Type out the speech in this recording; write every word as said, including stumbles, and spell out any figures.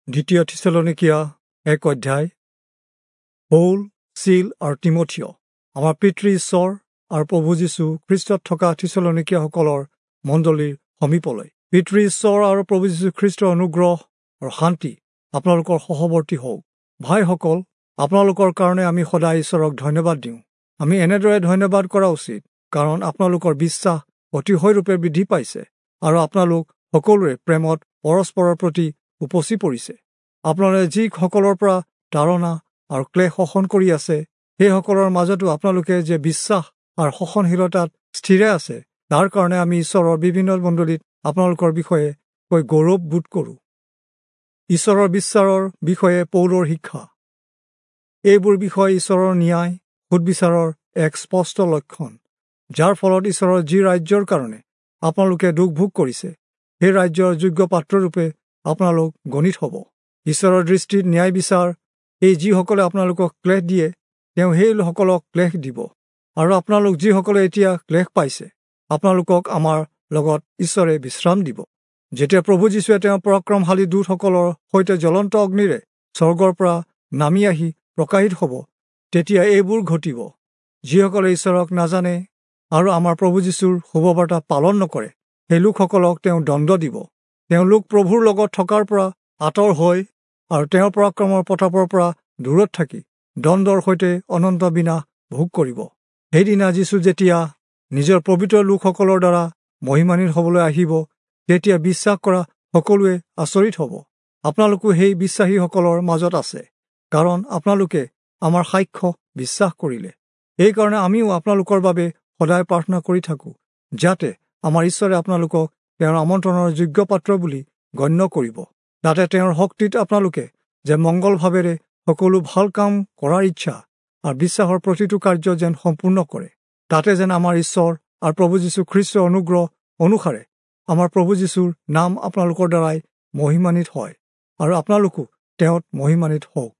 দ্বিতীয় থিচলনীকীয়া এক অধ্যায়। পৌল, চীল আৰু তিমথিয় আমাৰ পিতৃ ঈশ্বৰ আৰু প্ৰভু যীশু খ্ৰীষ্টত থকা থিচলনীকীয়াসকলৰ মণ্ডলীৰ সমীপলৈ। পিতৃ ঈশ্বৰ আৰু প্ৰভু যীশু খ্ৰীষ্টৰ অনুগ্ৰহ আৰু শান্তি আপোনালোকৰ সহৱৰ্তী হওক। ভাইসকল, আপোনালোকৰ কাৰণে আমি সদায় ঈশ্বৰক ধন্যবাদ দিওঁ। আমি এনেদৰে ধন্যবাদ কৰা উচিত, কাৰণ আপোনালোকৰ বিশ্বাস অতিশয়ৰূপে বৃদ্ধি পাইছে আৰু আপোনালোক সকলোৰে প্ৰেমত পৰস্পৰৰ প্ৰতি উপচি পৰিছে। আপোনালোকে যিসকলৰ পৰা তাড়না আৰু ক্লেশ সহন কৰি আছে, সেইসকলৰ মাজতো আপোনালোকে যে বিশ্বাস আৰু সহনশীলতাত স্থিৰে আছে, তাৰ কাৰণে আমি ঈশ্বৰৰ বিভিন্ন মণ্ডলীত আপোনালোকৰ বিষয়ে কৈ গৌৰৱ বোধ কৰোঁ। ঈশ্বৰৰ বিশ্বাসৰ বিষয়ে পৌলৰ শিক্ষা। এইবোৰ বিষয় ঈশ্বৰৰ ন্যায় সুদবিচাৰৰ এক স্পষ্ট লক্ষণ, যাৰ ফলত ঈশ্বৰৰ যি ৰাজ্যৰ কাৰণে আপোনালোকে দুখ ভোগ কৰিছে, সেই ৰাজ্যৰ যোগ্য পাত্ৰৰূপে আপোনালোক গণিত হ'ব। ঈশ্বৰৰ দৃষ্টিত ন্যায় বিচাৰ এই যিসকলে আপোনালোকক ক্লেশ দিয়ে, তেওঁ সেইসকলক ক্লেশ দিব। আৰু আপোনালোক যিসকলে এতিয়া ক্লেশ পাইছে, আপোনালোকক আমাৰ লগত ঈশ্বৰে বিশ্ৰাম দিব। যেতিয়া প্ৰভু যীশুৱে তেওঁৰ পৰাক্ৰমশালী দূতসকলৰ সৈতে জ্বলন্ত অগ্নিৰে স্বৰ্গৰ পৰা নামি আহি প্ৰকাশিত হ'ব, তেতিয়া এইবোৰ ঘটিব। যিসকলে ঈশ্বৰক নাজানে আৰু আমাৰ প্ৰভু যীশুৰ শুভবাৰ্তা পালন নকৰে, সেই লোকসকলক তেওঁ দণ্ড দিব। তেওঁলোক প্ৰভুৰ লগত থকাৰ পৰা আঁতৰ হৈ আৰু তেওঁৰ পৰাক্ৰমৰ প্ৰতাপৰ পৰা দূৰত থাকি দণ্ডৰ সৈতে অনন্ত বিনাশ ভোগ কৰিব। সেইদিনা যীশু যেতিয়া নিজৰ পবিত্ৰ লোকসকলৰ দ্বাৰা মহিমান্বিত হ'বলৈ আহিব, তেতিয়া বিশ্বাস কৰা সকলোৱে আচৰিত হ'ব। আপোনালোকো সেই বিশ্বাসীসকলৰ মাজত আছে, কাৰণ আপোনালোকে আমাৰ সাক্ষ্য বিশ্বাস কৰিলে। এইকাৰণে আমিও আপোনালোকৰ বাবে সদায় প্ৰাৰ্থনা কৰি থাকোঁ, যাতে আমাৰ ঈশ্বৰে আপোনালোকক তেওঁৰ আমন্ত্ৰণৰ যোগ্য পাত্ৰ বুলি গণ্য কৰিব। যাতে তেওঁৰ শক্তিত আপোনালোকে যে মংগলভাৱেৰে সকলো ভাল কাম কৰাৰ ইচ্ছা আৰু বিশ্বাসৰ প্ৰতিটো কাৰ্য যেন সম্পূৰ্ণ কৰে, তাতে যেন আমাৰ ঈশ্বৰ আৰু প্ৰভু যীশু খ্ৰীষ্টৰ অনুগ্ৰহ অনুসাৰে আমাৰ প্ৰভু যীশুৰ নাম আপোনালোকৰ দ্বাৰাই মহিমান্বিত হয় আৰু আপোনালোকো তেওঁত মহিমান্বিত হওক।